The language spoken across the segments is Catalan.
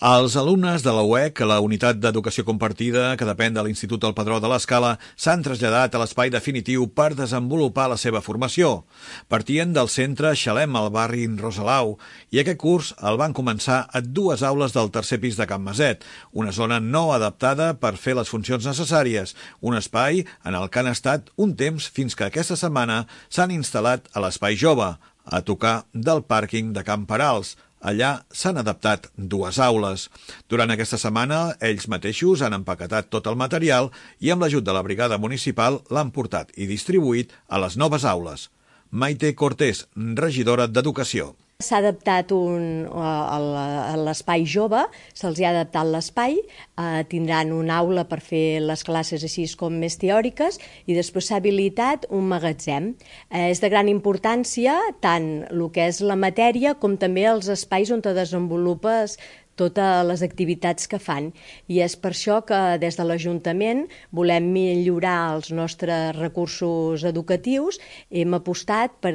Els alumnes de la UEC, la Unitat d'Educació Compartida, que depèn de l'Institut del Padró de l'Escala, s'han traslladat a l'espai definitiu per desenvolupar la seva formació. Partien del centre Xalem, al barri Rosalau, i aquest curs el van començar a dues aules del tercer pis de Can Maset, una zona no adaptada per fer les funcions necessàries, un espai en el que han estat un temps fins que aquesta setmana s'han instal·lat a l'Espai Jove, a tocar del pàrquing de Can Perals. Allà s'han adaptat dues aules. Durant aquesta setmana, ells mateixos han empaquetat tot el material i amb l'ajut de la brigada municipal l'han portat i distribuït a les noves aules. Maite Cortés, regidora d'Educació. S'ha adaptat a l'espai jove, se'ls ha adaptat l'espai, tindran una aula per fer les classes així com més teòriques i després s'ha habilitat un magatzem. És de gran importància tant el que és la matèria com també els espais on te desenvolupes totes les activitats que fan. I és per això que des de l'Ajuntament volem millorar els nostres recursos educatius. Hem apostat per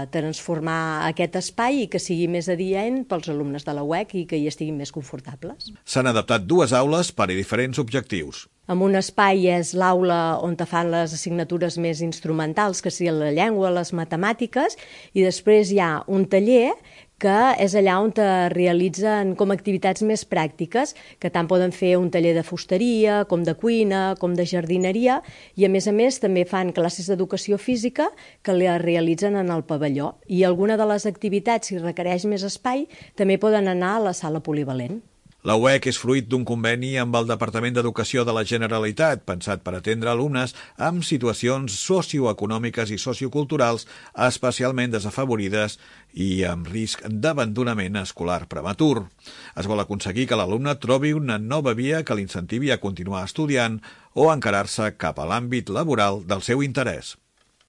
transformar aquest espai i que sigui més adient pels alumnes de la UEC i que hi estiguin més confortables. S'han adaptat dues aules per a diferents objectius. En un espai és l'aula on te fan les assignatures més instrumentals, que sigui la llengua, les matemàtiques, i després hi ha un taller que és allà on te realitzen com activitats més pràctiques, que tant poden fer un taller de fusteria, com de cuina, com de jardineria, i a més també fan classes d'educació física que les realitzen en el pavelló. I alguna de les activitats, si requereix més espai, també poden anar a la sala polivalent. La UEC és fruit d'un conveni amb el Departament d'Educació de la Generalitat, pensat per atendre alumnes amb situacions socioeconòmiques i socioculturals especialment desafavorides i amb risc d'abandonament escolar prematur. Es vol aconseguir que l'alumne trobi una nova via que l'incentivi a continuar estudiant o a encarar-se cap a l'àmbit laboral del seu interès.